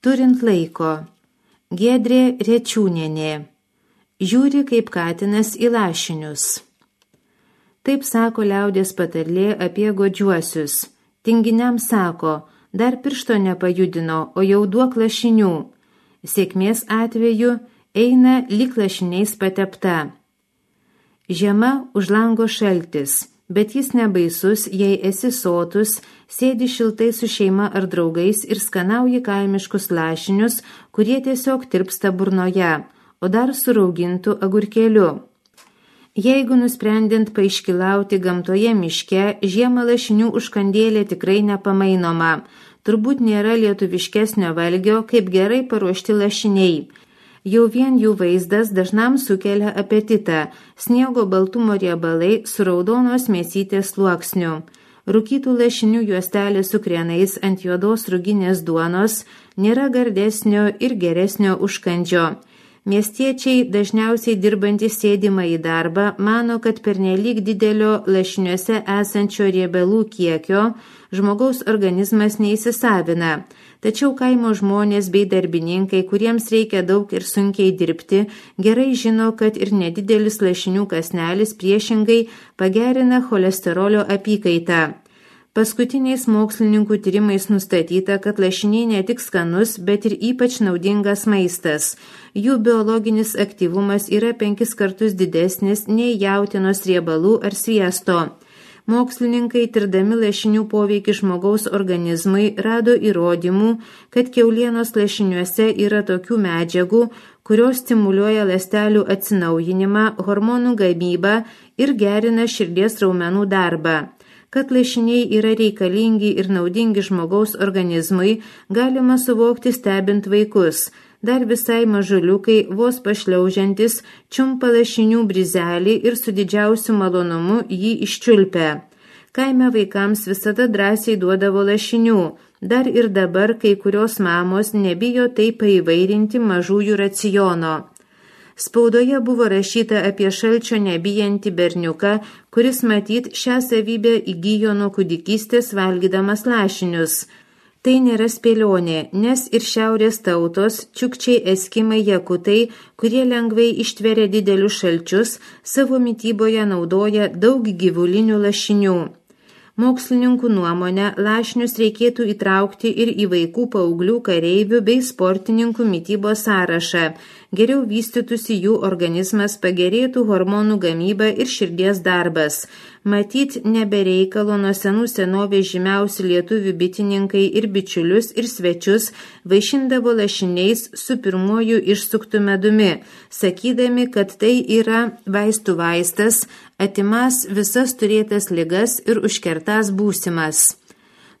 Turint laiko. Giedrė Rečiūnienė. Žiūri kaip katinas į lašinius. Taip sako liaudies patarlė apie godžiuosius. Tinginiam sako, dar piršto nepajudino, o jau duok lašinių. Sėkmės atveju eina lyg lašiniais patepta. Žiema už lango šaltis, bet jis nebaisus, jei esi sotus, sėdi šiltai su šeima ar draugais ir skanauji kaimiškus lašinius, kurie tiesiog tirpsta burnoje, o dar su raugintu agurkėliu. Jeigu nusprendint paiškilauti gamtoje miške, žiemą lašinių užkandėlė tikrai nepamainoma. Turbūt nėra lietuviškesnio valgio, kaip gerai paruošti lašiniai. Jau vien jų vaizdas dažnam sukelia apetitą, sniego baltumo riebalai su raudonos mėsytės sluoksniu. Rūkytų lašinių juostelė su krienais ant juodos ruginės duonos nėra gardesnio ir geresnio užkandžio. Miestiečiai, dažniausiai dirbantys sėdimą į darbą, mano, kad pernelyg didelio lašiniuose esančio riebalų kiekio žmogaus organizmas neįsisavina. Tačiau kaimo žmonės bei darbininkai, kuriems reikia daug ir sunkiai dirbti, gerai žino, kad ir nedidelis lašinių kąsnelis priešingai pagerina cholesterolio apykaitą. Paskutiniais mokslininkų tyrimais nustatyta, kad lašiniai ne tik skanus, bet ir ypač naudingas maistas. Jų biologinis aktyvumas yra 5 kartus didesnis nei jautienos riebalų ar sviesto. Mokslininkai, tirdami lašinių poveikį žmogaus organizmui, rado įrodymų, kad kiaulienos lašiniuose yra tokių medžiagų, kurios stimuliuoja ląstelių atsinaujinimą, hormonų gamybą ir gerina širdies raumenų darbą. Kad lašiniai yra reikalingi ir naudingi žmogaus organizmui, galima suvokti stebint vaikus. Dar visai mažuliukai, vos pašliaužiantis, čiumpa lašinių brizelį ir su didžiausiu malonumu jį iščiulpia. Kaime vaikams visada drąsiai duodavo lašinių. Dar ir dabar kai kurios mamos nebijo taip paįvairinti mažųjų raciono. Spaudoje buvo rašyta apie šalčio nebijantį berniuką, kuris matyt šią savybę įgijo nuo kūdikystės valgydamas lašinius. Tai nėra spėlionė, nes ir šiaurės tautos, čiukčiai, eskimai, jakutai, kurie lengvai ištveria didelius šalčius, savo mityboje naudoja daug gyvulinių lašinių. Mokslininkų nuomonę, lašinius reikėtų įtraukti ir į vaikų, paauglių, kareivių bei sportininkų mitybos sąrašą. Geriau vystytųsi jų organizmas, pagerėtų hormonų gamyba ir širdies darbas. Matyt, nebereikalo nuo senų senovės žymiausi lietuvių bitininkai ir bičiulius ir svečius vaišindavo lašiniais su pirmuoju išsuktu medumi, sakydami, kad tai yra vaistų vaistas, atimas visas turėtas ligas ir užkertas būsimas.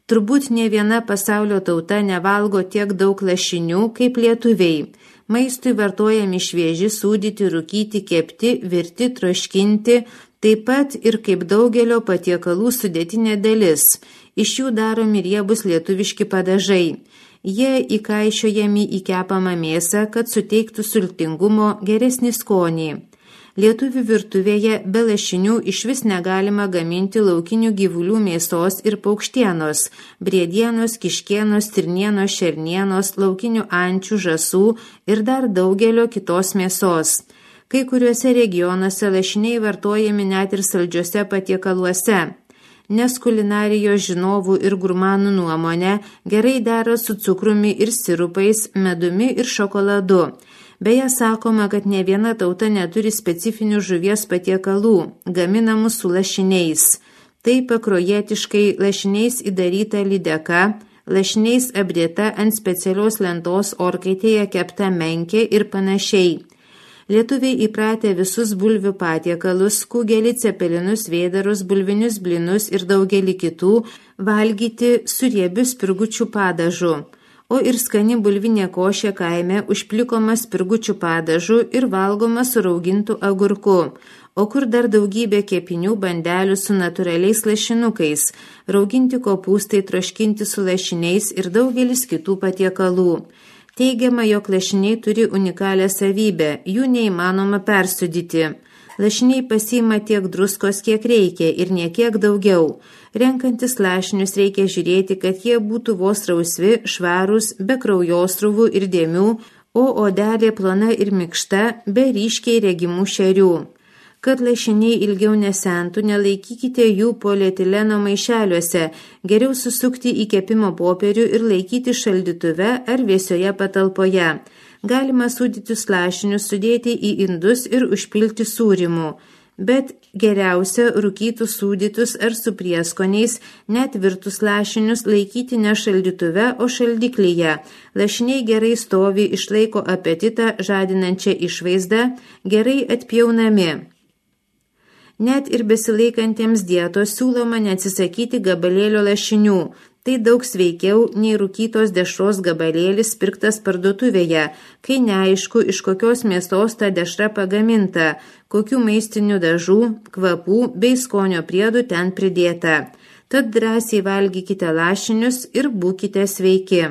Turbūt ne viena pasaulio tauta nevalgo tiek daug lašinių kaip lietuviai. Maistui vartojami švieži, sūdyti, rūkyti, kepti, virti, troškinti, taip pat ir kaip daugelio patiekalų sudėtinė dalis. Iš jų daromi riebus lietuviški padažai. Jie įkaišiojami į kepamą mėsą, kad suteiktų sultingumo, geresnį skonį. Lietuvių virtuvėje be lašinių išvis negalima gaminti laukinių gyvulių mėsos ir paukštienos, briedienos, kiškienos, stirnienos, šernienos, laukinių ančių, žąsų ir dar daugelio kitos mėsos. Kai kuriuose regionuose lašiniai vartojami net ir saldžiuose patiekaluose. Nes kulinarijos žinovų ir gurmanų nuomonė gerai dera su cukrumi ir sirupais, medumi ir šokoladu. Beje, sakoma, kad ne viena tauta neturi specifinių žuvies patiekalų, gaminamų su lašiniais. Tai pakruojietiškai lašiniais įdaryta lydeka, lašiniais apdėta ant specialios lentos orkaitėje kepta menkė ir panašiai. Lietuviai įpratę visus bulvių patiekalus, kugelį, cepelinus, vėdarus, bulvinius blinus ir daugelį kitų valgyti su riebiu spirgučių padažu. O ir skani bulvinė košė kaime užplikoma spirgučių padažu ir valgoma su raugintu agurku. O kur dar daugybė kepinių bandelių su natūraliais lašinukais, rauginti kopūstai, troškinti su lašiniais ir daugelis kitų patiekalų. Teigiama, jog lašiniai turi unikalią savybę, jų neįmanoma persudyti. Lašiniai pasiima tiek druskos, kiek reikia ir niekiek daugiau. Renkantis lašinius reikia žiūrėti, kad jie būtų vos rausvi, švarūs, be kraujostruvų ir dėmių, o odelė plona ir mikšta, be ryškiai regimų šerių. Kad lašiniai ilgiau nesentų, nelaikykite jų polietileno maišeliuose, geriau susukti į kepimo popierių ir laikyti šaldytuve ar vėsioje patalpoje. Galima sūdytus lašinius sudėti į indus ir užpilti sūrimu, bet geriausia rūkytus sūdytus ar su prieskoniais, net virtus lašinius laikyti ne šaldytuve, o šaldiklyje. Lašiniai gerai stovi, išlaiko apetitą žadinančią išvaizdą, gerai atpjaunami. Net ir besilaikantiems dietos siūloma neatsisakyti gabalėlio lašinių. Tai daug sveikiau nei rūkytos dešros gabalėlis pirktas parduotuvėje, kai neaišku, iš kokios mėsos ta dešra pagaminta, kokių maistinių dažų, kvapų bei skonio priedų ten pridėta. Tad drąsiai valgykite lašinius ir būkite sveiki.